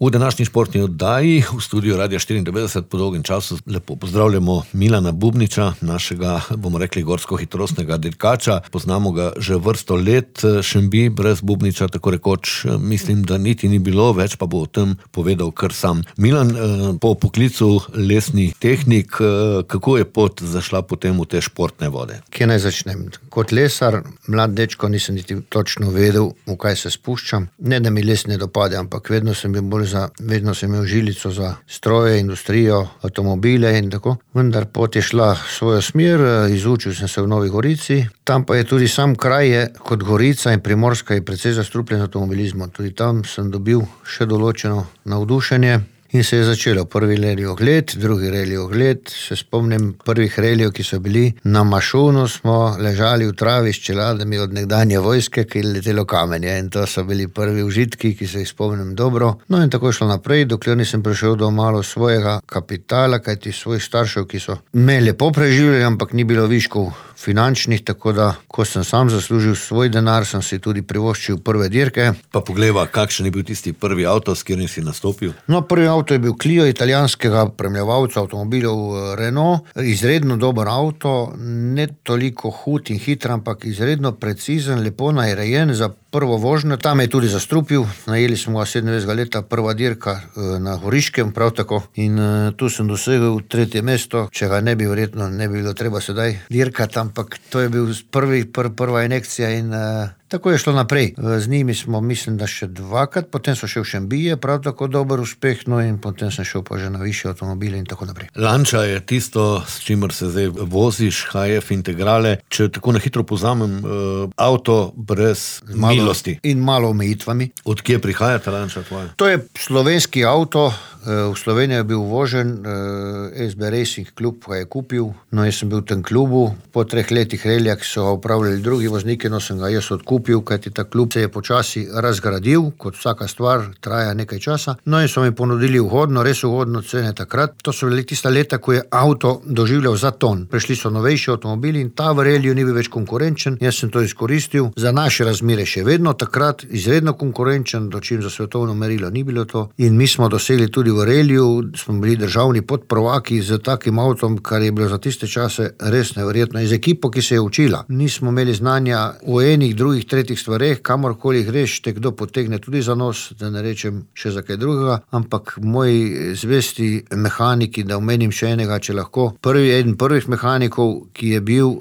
V današnji športni oddaji v studiu Radia 94 po dolgem času lepo pozdravljamo Milana Bubniča, našega, bomo rekli, gorsko-hitrostnega dirkača. Poznamo ga že vrsto let, Šembi brez Bubniča, tako rekoč, mislim, da niti ni bilo, več pa bo o tem povedal kar sam. Milan, po poklicu lesni tehnik, kako je pot zašla potem v te športne vode? Kje naj začnem? Kot lesar, mlad dečko, nisem niti točno vedel, v kaj se spuščam. Ne, da mi les ne dopade, ampak vedno sem imel žilico za stroje, industrijo, avtomobile in tako. Vendar pot je šla svojo smer, izučil sem se v Novi Gorici. Tam pa je tudi sam kraj kot Gorica in Primorska je precej zastrupljen avtomobilizmom. Tudi tam sem dobil še določeno navdušenje. In se je začelo prvi reli ogled, drugi reli ogled. Se spomnim prvih relijev, ki so bili na Mašunu, smo ležali v travi s čeladami od nekdanje vojske, ki je letelo kamenje. In to so bili prvi užitki, ki se jih spomnim dobro. No in tako je šlo naprej, dokler nisem prišel do malo svojega kapitala, kajti svojih staršev, ki so me lepo preživljali, ampak ni bilo viškov finančnih, tako da, ko sem sam zaslužil svoj denar, sem si tudi privoščil prve dirke. Pa poglejva, kakšen je bil tisti prvi avto, s katerim si nastopil? No, prvi avto je bil Clio italijanskega premljevalca avtomobilov Renault. Izredno dober avto, ne toliko hud in hiter, ampak izredno precizen, lepo narejen za prvo vožnjo. Tam je tudi zastrupil, najeli smo ga 27 leta, prva dirka na Goriškem, prav tako. In tu sem dosegel 3. mesto, če ga ne bi verjetno, ne bi bilo treba sedaj dirkati, ampak to je bil prva injekcija in tako je šlo naprej. Z njimi smo, mislim, da še dvakrat, potem so še v Šembije, prav tako dober uspeh, no in potem sem šel pa že na višje avtomobile in tako naprej. Lancia je tisto, s čimer se zdaj voziš, HF integrale. Če tako na hitro povzamem, avto brez milosti. In malo omejitvami. Od kje prihaja ta Lancia tvoja? To je slovenski avto, v Sloveniji je bil uvožen, SB Racing klub ga je kupil, no jaz sem bil v tem klubu, po 3 letih reljah so ga upravljali drugi vozniki, no sem ga jaz odkupil, kajti ta klub se je počasi razgradil, kot vsaka stvar traja nekaj časa, no in so mi ponudili ugodno, res ugodno cene takrat. To so bili tista leta, ko je avto doživljal zaton. Prišli so novejši avtomobili in ta v reliju ni bil več konkurenčen, jaz sem to izkoristil, za naše razmere še vedno takrat izredno konkurenčen, dočim za svetovno merilo ni bilo to, in mi smo dosegli tudi v reliju, smo bili državni podprvaki z takim avtom, kar je bilo za tiste čase res neverjetno. Z ekipo, ki se je učila. Nismo imeli znanja v enih, drugih, tretjih stvareh, kamorkoli greš, te kdo potegne tudi za nos, da ne rečem še za kaj drugega, ampak moji zvesti mehaniki, da omenim še enega, če lahko, eden prvih mehanikov, ki je bil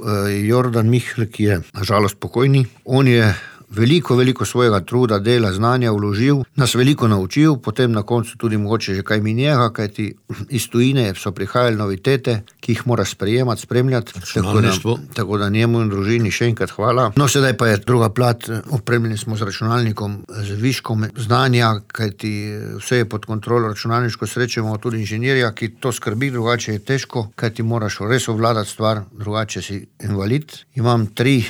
Jordan Mihl, ki je na žalost pokojni, on je veliko svojega truda, dela, znanja vložil, nas veliko naučil, potem na koncu tudi mogoče že kaj minjega, kajti iz tujine so prihajali novitete, ki jih mora sprejemati, spremljati, tako da njemu in družini še enkrat hvala. No, sedaj pa je druga plat, opremljeni smo z računalnikom, z viškom znanja, kajti vse je pod kontrolo računalniško, srečemo tudi inženirja, ki to skrbi, drugače je težko, kajti moraš res obvladati stvar, drugače si invalid. Imam tri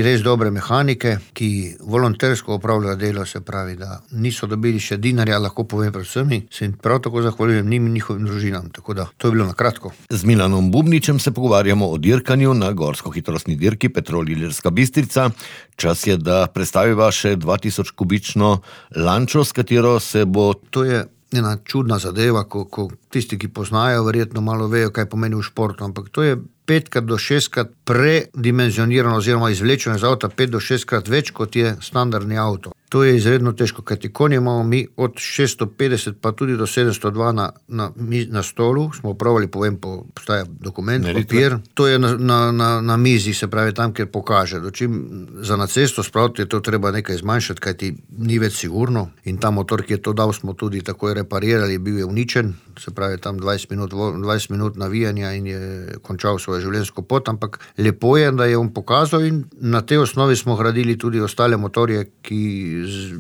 res dobre mehanike, ki volontersko opravljajo delo, se pravi, da niso dobili še dinarja, lahko povem predvsem, se jim prav tako zahvaljujem njim in njihovim družinam, tako da to je bilo na kratko. Z Milanom Bubničem se pogovarjamo o dirkanju na gorsko-hitrostni dirki Petrol Ilirska Bistrica. Čas je, da predstaviva še 2000 kubično Lančo, s katero se bo... To je ena čudna zadeva, ko tisti, ki poznajo, verjetno malo vejo, kaj pomeni v športu, ampak to je 5 do 6 predimenzionirano oziroma izvlečeno iz avta 5 do 6 več, kot je standardni avto. To je izredno težko, kajti konje imamo mi od 650 pa tudi do 702 na stolu, smo upravili, postaja dokument, papir, to je na mizi, se pravi tam, kjer pokaže. Dočim za na cesto spraviti je to treba nekaj zmanjšati, kajti ni več sigurno in ta motor, ki je to dal, smo tudi takoj reparirali, bil je uničen, se pravi tam 20 minut navijanja in je končal svojo življenjsko pot, ampak lepo je, da je on pokazal in na tej osnovi smo gradili tudi ostale motorje, ki z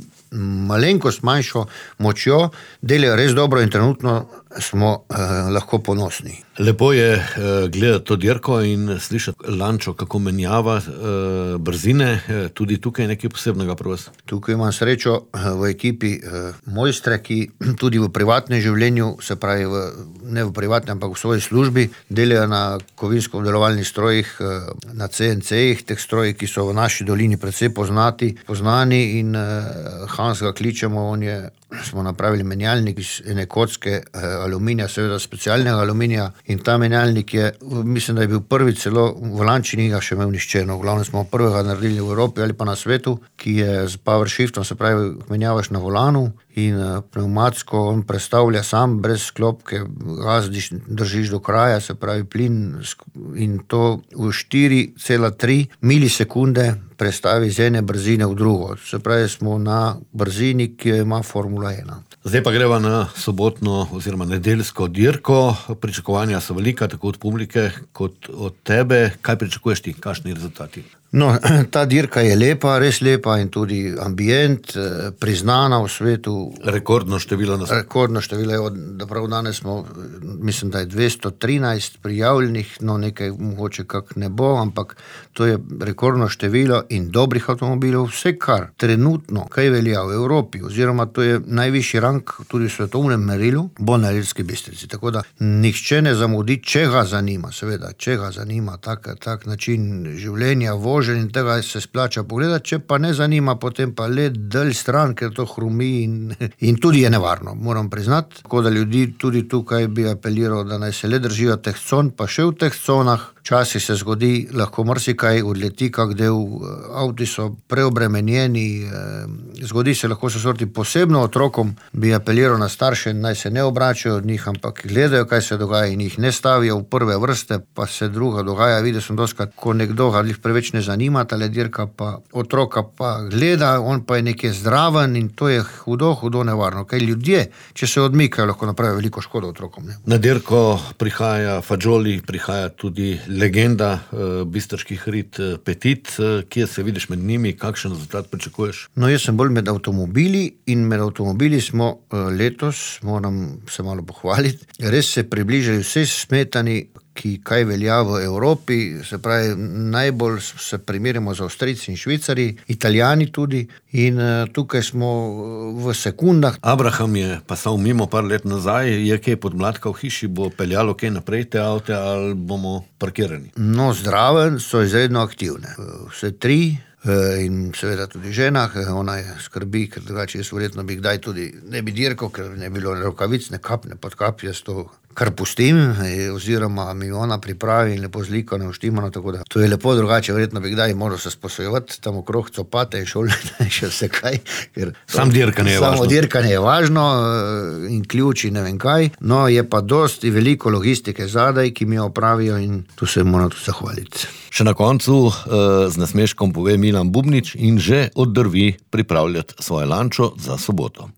malenkost manjšo močjo delajo res dobro in trenutno smo lahko ponosni. Lepo je gledati to dirko in slišati Lančo, kako menjava brzine, tudi tukaj je nekaj posebnega pri vas. Tukaj imam srečo v ekipi mojstre, ki tudi v privatnem življenju, se pravi ne v privatnem, ampak v svoji službi, delajo na kovinsko-obdelovalnih strojih, na CNC-jih, teh strojih, ki so v naši dolini precej poznani in Hans ga kličemo, on je smo napravili menjalnik iz ene kocke aluminija, seveda specialnega aluminija, in ta menjalnik je, mislim, da je bil prvi celo v Lanči, ni ga še imel nišče, no, v glavnem smo prvega naredili v Evropi ali pa na svetu, ki je z power shiftom, se pravi, menjavaš na volanu in pneumatsko on prestavlja sam, brez sklopke, gazdiš, držiš do kraja, se pravi plin, in to v 4,3 milisekunde prestavi z ene brzine v drugo. Se pravi, smo na brzini, ki jo ima Formula 1. Zdaj pa greva na sobotno oziroma nedeljsko dirko. Pričakovanja so velika, tako od publike kot od tebe. Kaj pričakuješ ti? Kakšni rezultati? No, ta dirka je lepa, res lepa, in tudi ambient, priznana v svetu. Rekordno število je, da prav danes smo, mislim, da je 213 prijavljenih, no nekaj mogoče kak ne bo, ampak to je rekordno število in dobrih avtomobilov, vse kar trenutno, kaj velja v Evropi, oziroma to je najvišji rang tudi v svetovnem merilu, bo na Ilirski Bistrici. Tako da nihče ne zamudi, če ga zanima, seveda, če ga zanima tak način življenja, voženja, in tega se splača pogledati, če pa ne zanima, potem pa let dalj stran, ker to hrumi in tudi je nevarno, moram priznati. Tako da ljudi tudi tukaj bi apeliral, da naj se le držijo teh con, pa še v teh conah. Včasih se zgodi, lahko marsikaj odleti, kak del, avti so preobremenjeni, zgodi se lahko so sorti, posebno otrokom bi apeliral na starše, naj se ne obračajo od njih, ampak gledajo, kaj se dogaja, in jih ne stavijo v prve vrste, pa se druga dogaja. Videl sem doskrat, ko nekdo ga preveč ne zanima, tale dirka, pa otroka pa gleda, on pa je nekje zdraven, in to je hudo nevarno. Kaj ljudje, če se odmikajo, lahko napravijo veliko škodo otrokom. Ne? Na dirko prihaja Fagioli, prihaja tudi legenda bistriških rit Petit. Kje se vidiš med njimi, kakšen rezultat pričakuješ? No, jaz sem bolj med avtomobili, in med avtomobili smo letos, moram se malo pohvaliti, res se približali vse smetani, ki kaj velja v Evropi, se pravi, najbolj se primerjamo z Avstrijci in Švicari, Italijani tudi, in tukaj smo v sekundah. Abraham je pasal mimo par let nazaj, je kaj podmladka v hiši, bo peljalo kaj naprej te avte, ali bomo parkirani? No, zdraven, so izredno aktivne. Vse tri, in seveda tudi žena, ona je skrbi, ker drugače jaz verjetno bi kdaj tudi ne bi dirkal, ker ne bilo rokavic, ne kap, ne podkap, jaz to kar pustim, oziroma mi ona pripravi in lepo zliko ne uštimano, tako da to je lepo, drugače verjetno bi kdaj moral se sposojevati tam okrog copate in šolne in še vse kaj, ker samo dirkanje je važno in ključi ne vem kaj, no je pa dosti veliko logistike zadaj, ki mi jo opravijo, in tu se moram tudi zahvaliti. Še na koncu z nasmeškom pove Milan Bubnič in že oddrvi pripravljati svoje lančo za soboto.